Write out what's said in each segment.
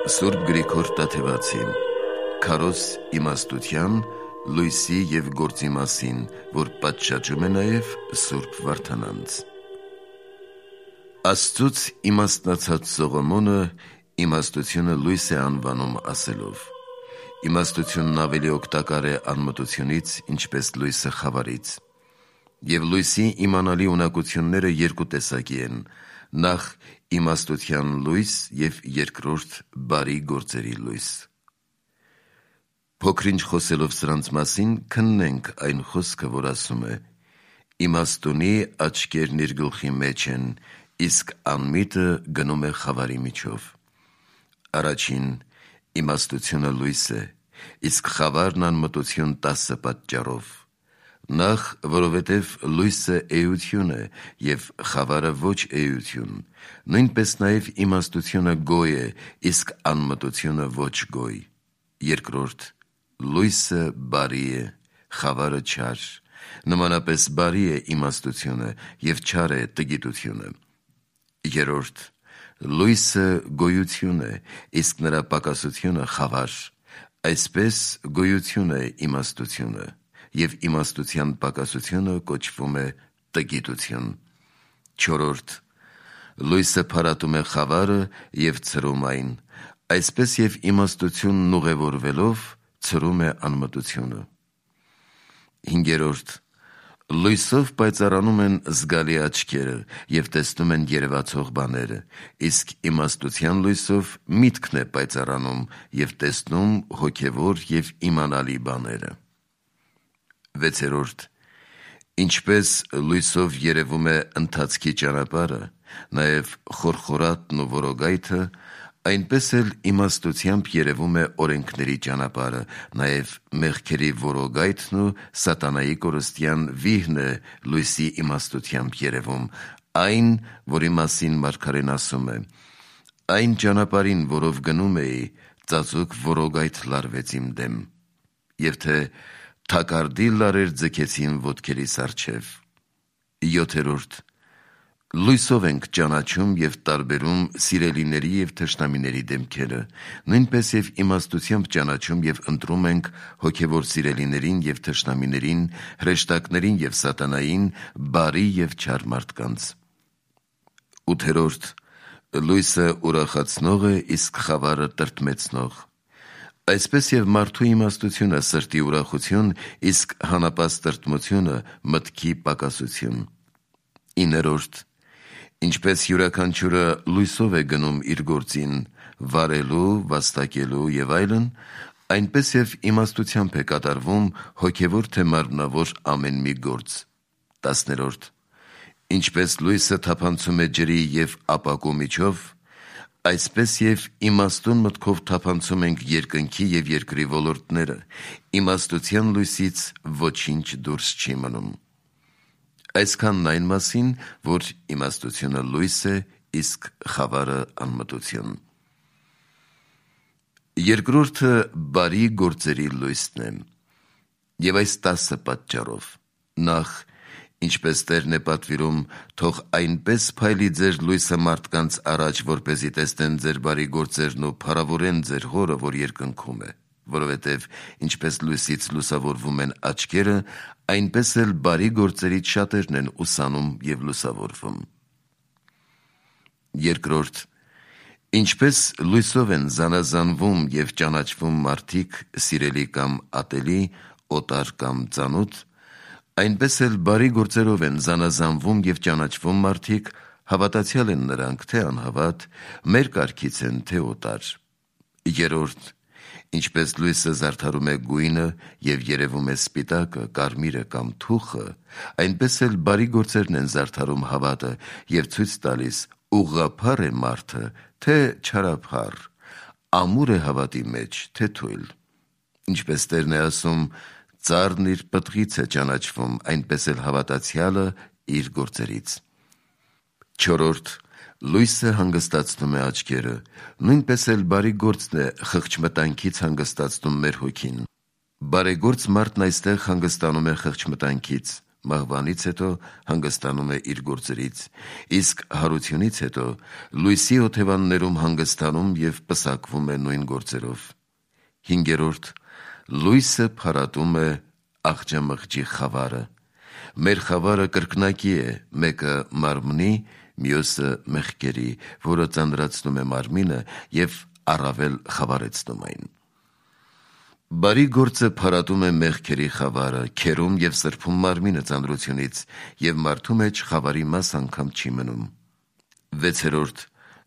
Սուրբ Գրիգոր Տաթևացի Քարոզ իմաստության, լույսի և գործի մասին, որ պատշաճում է նաև Սուրբ Վարդանանց։ Աստծուց իմաստնացած Սողոմոնը իմաստությունը լույս է անվանում ասելով. Իմաստությունն ավելի օգտակար է անմտությունից, ինչպես լույսը խավարից։ Եվ լույսի իմանալի ունակությունները երկու տեսակի են. նախ իմաստության լույս և երկրորդ բարի գործերի լույս։ Փոքր-ինչ խոսելով սրանց մասին, քննենք այն խոսքը, որ ասում է. իմաստունի աչքերն իր գլխի մեջ են, իսկ անմիտը գնում է խավարի միջով։ Առաջին, իմաստությունը լույս է, իսկ խավարն անմտություն 10 պատճառով։ Նախ, որովհետև լույսը էություն է, և խավարը ոչ էություն, նույնպես նաև իմաստությունը գոյ է, իսկ անմտությունը ոչ գոյ։ Երկրորդ, լույսը բարի է, խավարը չար, նմանապես բարի է իմաստությունը և չար է տգիտությունը։ Երրորդ, լույսը գոյություն է, իսկ նրա պակասությունը խավար, այսպես գոյություն է իմաստությունը, և իմաստության պակասությունը կոչվում է տգիտություն։ Չորրորդ, լույսը փարատում է խավարը և ցրում այն, այսպես և իմաստությունն ուղևորվելով ցրում է անմտությունը։ Հինգերորդ, լույսով պայծառանում են զգալի աչքերը և տեսնում են երևացող բաները, իսկ իմաստության լույսով միտքն է պայծառանում և տեսնում հոգևոր և իմանալի բաները։ Վեցերորդ, ինչպես լույսով երևում է ընթացքի ճանապարհը, նաև խորխորատն ու որոգայթը, այնպես էլ իմաստությամբ երևում է օրենքների ճանապարհը, նաև մեղքերի որոգայթն ու սատանայի կորստյան վիհն է լույսի իմաստությամբ երևում, այն, որի մասին մարգարեն ասում է. «Այն ճանապարհին, որով գնում էի, ծածուկ որոգայթ լարվեց իմ դեմ», և թե թակարդի լարեր ձգեցին ոտքերիս առջև։ Յոթերորդ, լույսով ենք ճանաչում և տարբերում սիրելիների և թշնամիների դեմքերը, նույնպես և իմաստությամբ ճանաչում և ընտրում ենք հոգևոր սիրելիներին և թշնամիներին, հրեշտակներին և սատանային, բարի և չար մարդկանց։ Ութերորդ, լույսը ուրախացնող է, իսկ խավարը տրտմեցնող։ Այսպես և մարդու իմաստությունը սրտի ուրախություն, իսկ հանապաստ տրտմությունը մտքի պակասություն։ Իներորդ, ինչպես յուրաքանչյուրը լույսով է գնում իր գործին, վարելու, վաստակելու և այլն, այնպես և իմաստությամբ է կատարվում հոգևոր թե մարմնավոր ամեն մի գործ։ 10-րդ, ինչպես լույսը թափանցում է ջրի և ապակու միջով, այսպես և իմաստուն մտքով թափանցում ենք երկնքի և երկրի ոլորտները, իմաստության լույսից ոչինչ դուրս չի մնում։ Այսքանն այն մասին, որ իմաստությունը լույս է, իսկ խավարը անմտություն։ Երկրորդը բարի գործերի լույսն է, և այս 10 պատճառով. Նախ, ինչպես Տերն է պատվիրում, թող այնպես փայլի ձեր լույսը մարդկանց առաջ, որպեսզի տեսնեն ձեր բարի գործերն ու փառավորեն ձեր Հորը, որ երկնքում է, որովհետև ինչպես լույսից լուսավորվում են աչքերը, այնպես էլ բարի գործերից շատերն են ուսանում և լուսավորվում։ Երկրորդ, ինչպես լույսով են զանազանվում և ճանաչվում մարդիկ սիրելի կամ ատելի, օտար կամ ծանոթ, այնպես էլ բարի գործերով են զանազանվում և ճանաչվում մարդիկ, հավատացյալ են նրանք, թե անհավատ, մեր կարգից են, թե օտար։ Երրորդ, ինչպես լույսը զարդարում է գույնը և երևում է սպիտակը, կարմիրը կամ թուխը, այնպես էլ բարի գործերն են զարդարում հավատը և ցույց տալիս ուղղափառ է մարդը, թե չարափառ, ամուր է հավատի մեջ, թե թույլ։ Ինչպես Տերն է ասում. «Ծառն իր պտղից է ճանաչվում, այնպես էլ հավատացյալը իր գործերից»։ Չորրորդ, լույսը հանգստացնում է աչքերը, նույնպես էլ բարի գործն է խղճմտանքից հանգստացնում մեր հոգին։ Բարեգործ մարդն այստեղ հանգստանում է խղճմտանքից, մահվանից հետո հանգստանում է իր գործերից, իսկ հարությունից հետո լույսի օթևաններում հանգստանում և պսակվում է նույն գործերով։ 5. Լույսը փարատում է աղջամղջի խավարը։ Մեր խավարը կրկնակի է, մեկը մարմնի, մյուսը մեղքերի, որը ծանրացնում է մարմինը և առավել խավարեցնում այն։ Բարի գործը փարատում է մեղքերի խավարը, քերում և սրբում մարմինը ծանրությունից, և մարդու մեջ խավարի մաս անգամ չի մնում։ 6.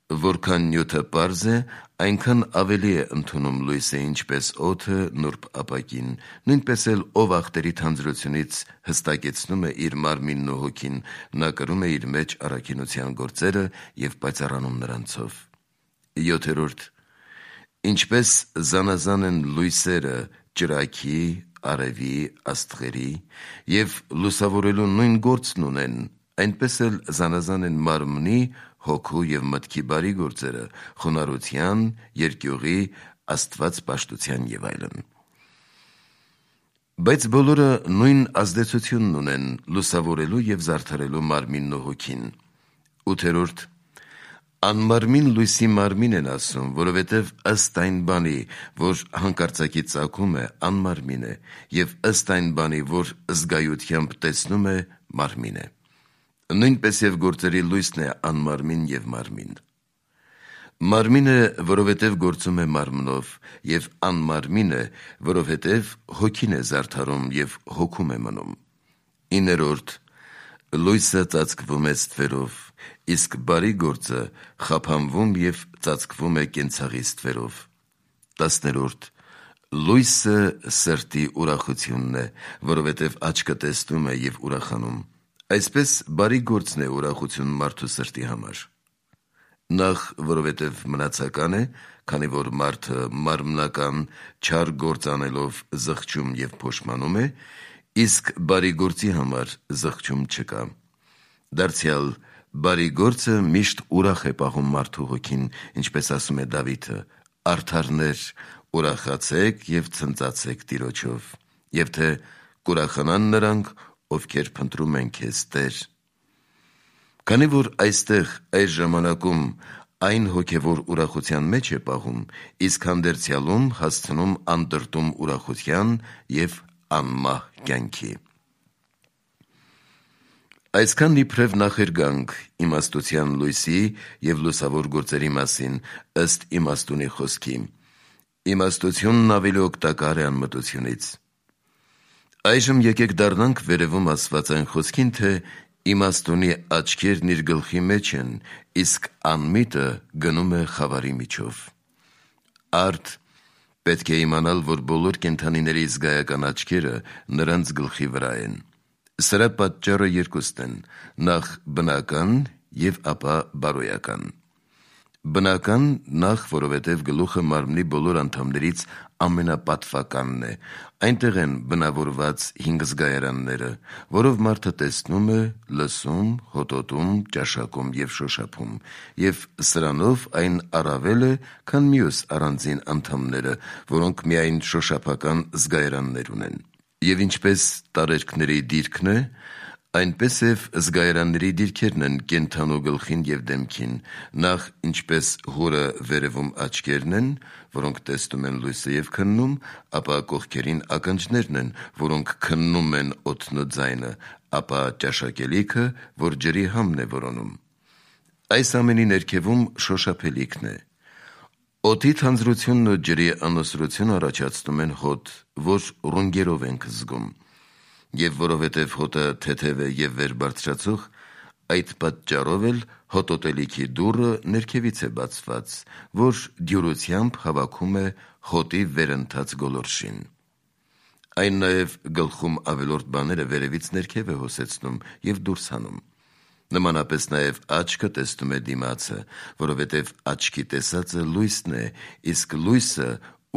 Որքան նյութը պարզ է, այնքան ավելի է ընդունում լույսը, ինչպես օդը նուրբ ապակին, նույնպես էլ ով ախտերի թանձրությունից հստակեցնում է իր մարմինն ու հոգին, նա կրում է իր մեջ առաքինության գործերը և պայծառանում նրանցով։ 7. Ինչպես զանազան են լույսերը ճրագի, արևի, աստղերի և լուսավորելու նույն գործն ունեն, այնպես էլ զանազան են մարմնի, հոգու և մտքի բարի գործերը, խոնարհության, երկյուղի, Աստված պաշտության և այլն։ Բայց բոլորը նույն ազդեցությունն ունեն լուսավորելու և զարդարելու մարմինն ու հոգին։ 8. Անմարմին լույսի մարմին են ասում, որովհետև ըստ այն բանի, որ հանկարծակի ծագում է, անմարմին է, և ըստ այն բանի, որ զգայությամբ տեսնում է, մարմին է։ Նույնպես և գործերի լույսն է անմարմին և մարմին։ Մարմին է, որովհետև գործում է մարմնով, և անմարմին է, որովհետև հոգին է զարդարում և հոգում է մնում։ 9. Լույսը ծածկվում է ստվերով, իսկ բարի գործը խափանվում և ծածկվում է կենցաղի ստվերով։ 10. Լույսը սրտի ուրախությունն է, որովհետև աչքը տեսնում է և ուրախանում։ Այսպես բարի գործն է ուրախություն մարդու սրտի համար։ Նախ, որովհետև մնացական է, քանի որ մարդը մարմնական չար գործ անելով զղջում և փոշմանում է, իսկ բարի գործի համար զղջում չկա։ Դարձյալ, բարի գործը միշտ ուրախ է պահում մարդու հոգին, ինչպես ասում է Դավիթը. «Արդարներ, ուրախացեք և ցնծացեք Տիրոջով, և թե կուրախանան նրանք, ովքեր փնտրում են քեզ, Տեր»։ Քանի որ այստեղ այս ժամանակում այն հոգևոր ուրախության մեջ է պահում, իսկ հանդերձյալում հասցնում անտրտում ուրախության և անմահ կյանքի։ Այսքան իբրև նախերգանք իմաստության լույսի և լուսավոր գործերի մասին, ըստ իմաստունի խոսքի։ Իմաստությունն ավելի օգտակար է անմտությունից։ Այժմ եկեք դառնանք վերևում ասված այն խոսքին, թե իմաստունի աչքերն իր գլխի մեջ են, իսկ անմիտը գնում է խավարի միջով։ Արդ պետք է իմանալ, որ բոլոր կենդանիների զգայական աչքերը նրանց գլխի վրա են։ Սրա պատճառը երկուստ են. նախ բնական և ապա բարոյական։ Բնական, նախ, որովհետև գլուխը մարմնի բոլոր անդամներից ամենապատվականն է, այնտեղ են բնավորված 5 զգայարանները, որով մարդը տեսնում է, լսում, հոտոտում, ճաշակում և շոշափում, և սրանով այն առավել է, քան մյուս առանձին անդամները, որոնք միայն շոշափական զգայարաններ ունեն։ Եվ ինչպես տարերքների դիրքն է, այնպես և զգայարանների դիրքերն են կենդանու գլխին և դեմքին, նախ ինչպես հորը վերևում աչքերն են, որոնք տեսնում են լույսը և քննում, ապա կողքերին ականջներն են, որոնք քննում են օդն ու ձայնը, ապա ճաշակելիքը, որ ջրի համն է որոնում։ Այս ամենի ներքևում շոշափելիքն է։ Օդի թանձրությունն ու ջրի անոսրությունը առաջացնում են հոտ, որ ռունգերով ենք զգում։ Եվ որովհետև հոտը թեթև է և վեր բարձրացող, այդ պատճառով էլ հոտոտելիքի դուռը ներքևից է բացված, որ դյուրությամբ հավաքում է հոտի վերընթաց գոլորշին։ Այն նաև գլխում ավելորդ բաները վերևից ներքև է հոսեցնում և դուրս հանում։ Նմանապես նաև աչքը տեսնում է դիմացը, որովհետև աչքի տեսածը լույսն է, իսկ լույսը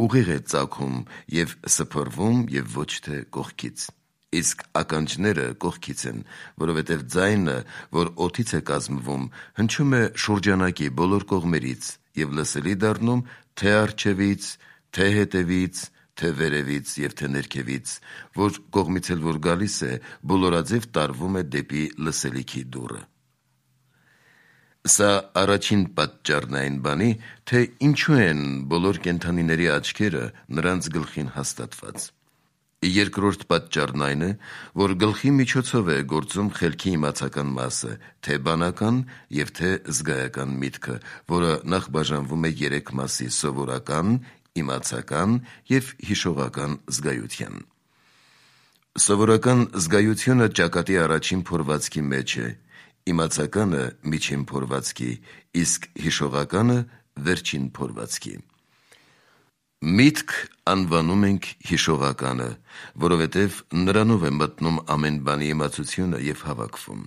ուղիղ է ծագում և սփռվում և ոչ թե կողքից։ Իսկ ականջները կողքից են, որովհետև ձայնը, որ օդից է կազմվում, հնչում է շուրջանակի բոլոր կողմերից և լսելի դառնում թե առջևից, թե հետևից, թե վերևից և թե ներքևից, որ կողմից էլ որ գալիս է, բոլորաձև տարվում է դեպի լսելիքի դուռը։ Սա առաջին պատճառն է այն բանի, թե ինչու են բոլոր կենդանիների աչքերը նրանց գլխին հաստատված։ Երկրորդ պատճառն այն է, որ գլխի միջոցով է գործում խելքի իմացական մասը, թե բանական և թե զգայական միտքը, որը նախ բաժանվում է 3 մասի՝ սովորական, իմացական և հիշողական զգայության։ Սովորական զգայությունը ճակատի առաջին փորվածքի մեջ է, իմացականը միջին փորվածքի, իսկ հիշողականը վերջին փորվածքի։ Միտք անվանում ենք հիշողականը, որովհետև նրանով է մտնում ամեն բանի իմացությունը և հավաքվում։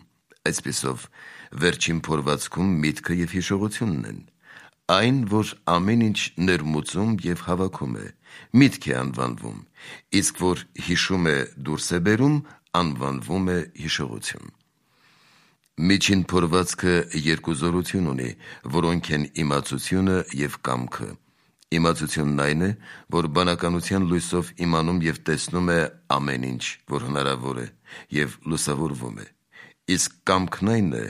Այսպիսով, վերջին փորվածքում միտքը և հիշողությունն են։ Այն, որ ամեն ինչ ներմուծում և հավաքում է, միտք է անվանվում, իսկ որ հիշում է դուրս է բերում, անվանվում է հիշողություն։ Միջին փորվածքը 2 զորություն ունի, որոնք են իմացությունը և կամքը։ Իմացությունն այն է, որ բանականության լույսով իմանում և տեսնում է ամեն ինչ, որ հնարավոր է, և լուսավորվում է, իսկ կամքն այն է,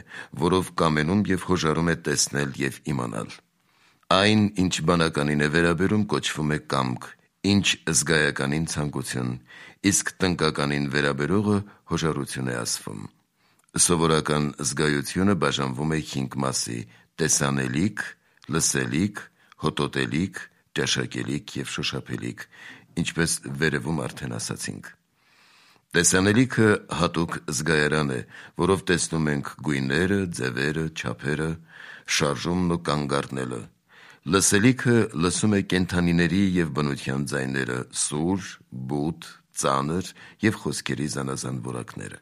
որով կամենում և հոժարում է տեսնել և իմանալ։ Այն, ինչ բանականին է վերաբերում, կոչվում է կամք, ինչ զգայականին ցանկություն, իսկ տնկականին վերաբերողը հոժարություն է ասվում։ Սովորական զգայությունը բաժանվում է 5 մասի՝ տեսանելիք, լսելիք, հոտոտելիք, ճաշակելիք և շոշափելիք, ինչպես վերևում արդեն ասացինք։ Տեսանելիքը հատուկ զգայարան է, որով տեսնում ենք գույները, ձևերը, չափերը, շարժումն ու կանգ առնելը։ Լսելիքը լսում է կենդանիների և բնության ձայները՝ սուր, բութ, ծանր և խոսքերի զանազան որակները։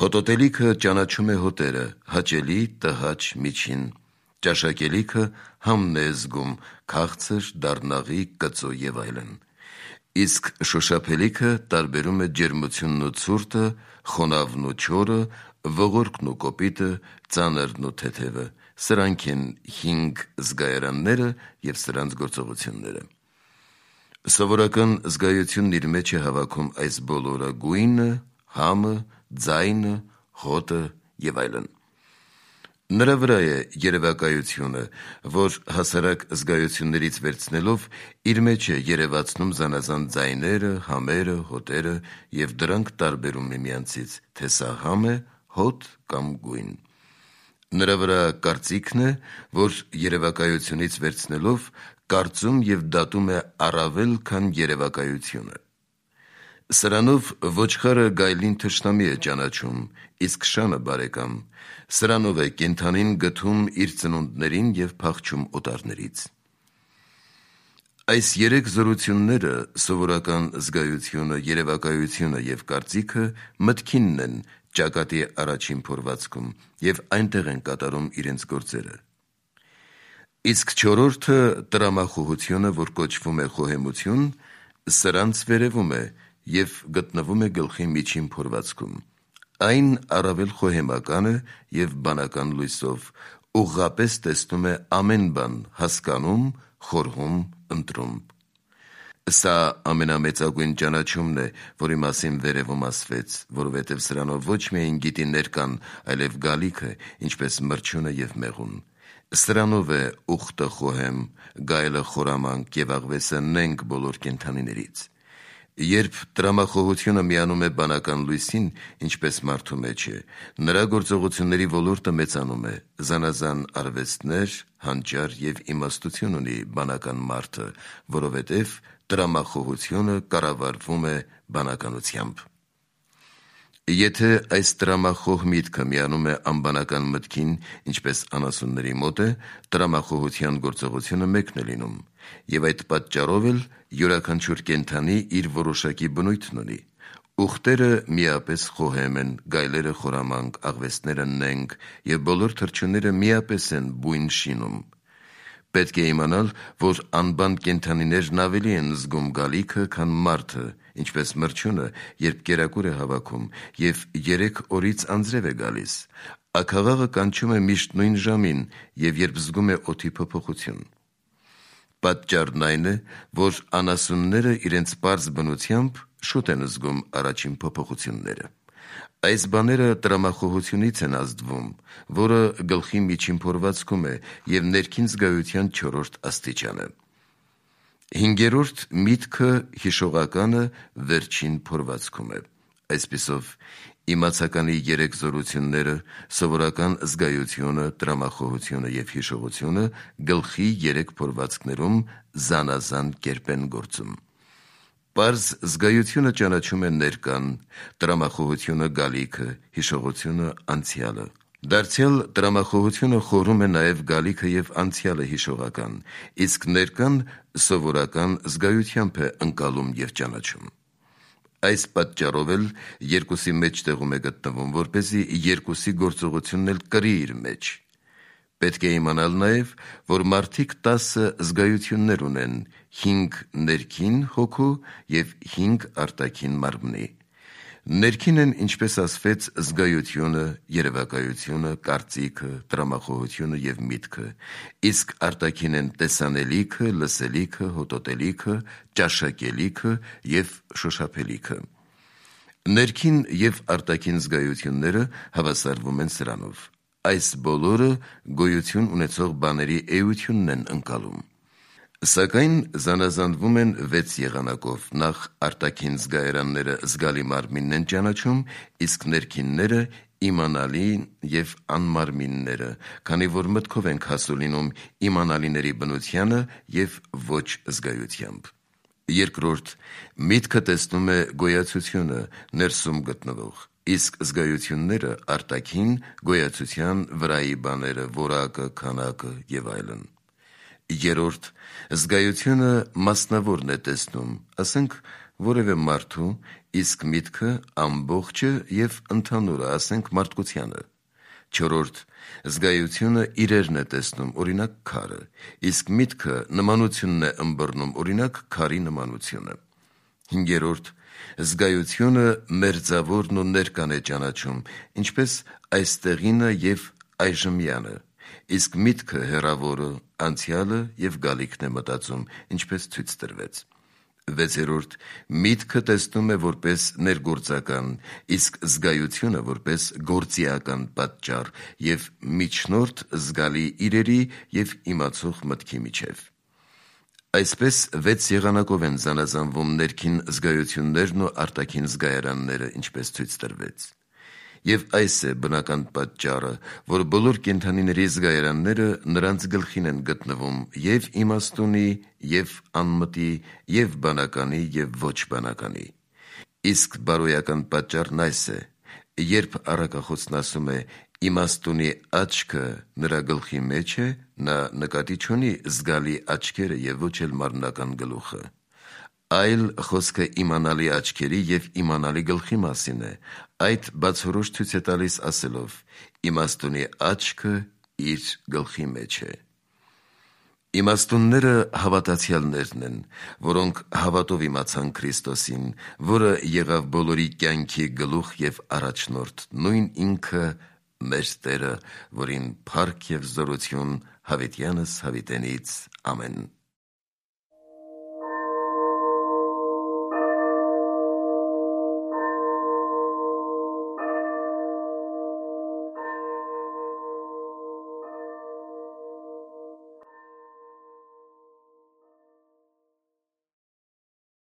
Հոտոտելիքը ճանաչում է հոտերը՝ հաճելի, տհաճ, միջին։ Ճաշակելիքը համն է զգում՝ քաղցր, դառնաղի, կծու և այլն։ Իսկ շոշափելիքը տարբերում է ջերմությունն ու ցուրտը, խոնավն ու չորը, ողորկն ու կոպիտը, ծանրն ու թեթևը։ Սրանք են 5 զգայարանները և սրանց գործողությունները։ Սովորական զգայությունն իր մեջ է հավաքում այս բոլորը՝ գույնը, համը, ձայնը, հոտը և այլն։ Նրա վրա է երևակայությունը, որ հասարակ զգայություններից վերցնելով իր մեջ է երևացնում զանազան ձայները, համերը, հոտերը և դրանք տարբերում միմյանցից, թե սա համ է, հոտ կամ գույն։ Նրա վրա կարծիքն է, որ երևակայությունից վերցնելով կարծում և դատում է առավել, քան երևակայությունը։ Սրանով ոչխարը գայլին թշնամի է ճանաչում, իսկ շանը բարեկամ։ Սրանով է կենդանին գթում իր ծնունդներին և փախչում օտարներից։ Այս 3 զորությունները՝ սովորական զգայությունը, երևակայությունը և կարծիքը, մտքինն են ճակատի առաջին փորվածքում և այնտեղ են կատարում իրենց գործերը։ Իսկ 4-րդը՝ տրամախոհությունը, որ կոչվում է խոհեմություն, սրանց վերևում է և գտնվում է գլխի միջին փորվածքում։ Այն առավել խոհեմական է և բանական լույսով ուղղապես տեսնում է ամեն բան, հասկանում, խորհում, ընտրում։ Սա ամենամեծագույն ճանաչումն է, որի մասին վերևում ասվեց, որովհետև սրանով ոչ միայն գիտի ներկան, այլև գալիքը, ինչպես մրջյունը և մեղուն։ Սրանով է ուխտը խոհեմ, գայլը խորամանկ և աղվեսը նենգ բոլոր կենդանիներից։ Երբ տրամախոհությունը միանում է բանական լույսին, ինչպես մարդու մեջ է, նրա գործողությունների ոլորտը մեծանում է, զանազան արվեստներ, հանճար և իմաստություն ունի բանական մարդը, որովհետև տրամախոհությունը կառավարվում է բանականությամբ։ Եթե այս տրամախոհ միտքը միանում է անբանական մտքին, ինչպես անասունների մոտ է, տրամախոհության գործողությունը մեկն է լինում, և այդ պատճառով էլ յուրաքանչյուր կենդանի իր որոշակի բնույթն ունի։ Ուղտերը միապես խոհեմ են, գայլերը խորամանկ, աղվեսները նենգ և բոլոր թռչունները միապես են բույն շինում։ Պետք է իմանալ, որ անբան կենդանիներն ավելի են զգում գալիքը, քան մարդը, ինչպես մրջյունը, երբ կերակուր է հավաքում և 3 օրից անձրև է գալիս։ Աքաղաղը կանչում է միշտ նույն ժամին և երբ զգում է օդի փոփոխություն։ Պատճառն այն է, որ անասունները իրենց պարզ բնությամբ շուտ են զգում առաջին փոփոխությունները։ Այս բաները տրամախոհությունից են ազդվում, որը գլխի միջին փորվածքում է և ներքին զգայության 4-րդ աստիճանը։ 5-րդ միտքը հիշողականը վերջին փորվածքում է։ Այսպիսով, իմացականի 3 զորությունները՝ սովորական զգայությունը, տրամախոհությունը և հիշողությունը, գլխի 3 փորվածքներում զանազան կերպ են գործում։ Պարզ զգայությունը ճանաչում է ներկան, տրամախոհությունը գալիքը, հիշողությունը անցյալը։ Դարձյալ տրամախոհությունը խորում է նաև գալիքը և անցյալը հիշողական, իսկ ներկան սովորական զգայությամբ է ընկալում և ճանաչում։ Այս պատճառով էլ երկուսի մեջտեղում է գտնվում, որպեսզի երկուսի գործողությունն էլ կրի իր մեջ։ Պետք է իմանալ նաև, որ մարդիկ 10 զգայություններ ունեն՝ 5 ներքին հոգու և 5 արտաքին մարմնի։ Ներքին են, ինչպես ասվեց, զգայությունը, երևակայությունը, կարծիքը, տրամախոհությունը և միտքը, իսկ արտաքին են տեսանելիքը, լսելիքը, հոտոտելիքը, ճաշակելիքը և շոշափելիքը։ Ներքին և արտաքին զգայությունները հավասարվում են սրանով։ Այս բոլորը գոյություն ունեցող բաների էությունն են ընկալում։ Սակայն զանազանվում են 6 եղանակով. նախ արտաքին զգայարանները զգալի մարմինն են ճանաչում, իսկ ներքինները իմանալի և անմարմինները, քանի որ մտքով ենք հասու լինում իմանալիների բնությանը և ոչ զգայությամբ։ Երկրորդ, միտքը տեսնում է գոյացությունը ներսում գտնվող, իսկ զգայությունները արտաքին գոյացության վրայի բաները, որակը, քանակը և այլն։ Երրորդ, զգայությունը մասնավորն է տեսնում, ասենք որևէ մարդու, իսկ միտքը ամբողջը և ընդհանուրը, ասենք մարդկությանը։ Չորրորդ, զգայությունը իրերն է տեսնում, օրինակ քարը, իսկ միտքը նմանությունն է ըմբռնում, օրինակ քարի նմանությունը։ Հինգերորդ, զգայությունը մերձավորն ու ներկան է ճանաչում, ինչպես այստեղինը և այժմյանը, իսկ միտքը հեռավորը, անցյալը և գալիքն է մտածում, ինչպես ցույց տրվեց։ Վեցերորդ, միտքը տեսնում է որպես ներգործական, իսկ զգայությունը որպես գործիական պատճառ և միջնորդ զգալի իրերի և իմացող մտքի միջև։ Այսպես 6 եղանակով են զանազանվում ներքին զգայություններն ու արտաքին զգայարանները, ինչպես ցույց տրվեց։ Եվ այս է բնական պատճառը, որ բոլոր կենդանիների զգայարանները նրանց գլխին են գտնվում և իմաստունի, և անմտի, և բանականի, և ոչ բանականի։ Իսկ բարոյական պատճառն այս է. երբ առակախոսն ասում է «իմաստունի աչքը նրա գլխի մեջ է», նա նկատի չունի զգալի աչքերը և ոչ էլ մարմնական գլուխը, այլ խոսքը իմանալի աչքերի և իմանալի գլխի մասին է, այդ բացորոշ ցույց է տալիս ասելով. «իմաստունի աչքը իր գլխի մեջ է»։ Իմաստունները հավատացյալներն են, որոնք հավատով իմացան Քրիստոսին, որը եղավ բոլորի կյանքի գլուխ և առաջնորդ, նույն ինքը մեր Տերը, որին փառք և զորություն հավիտյանս հավիտենից։ Ամեն։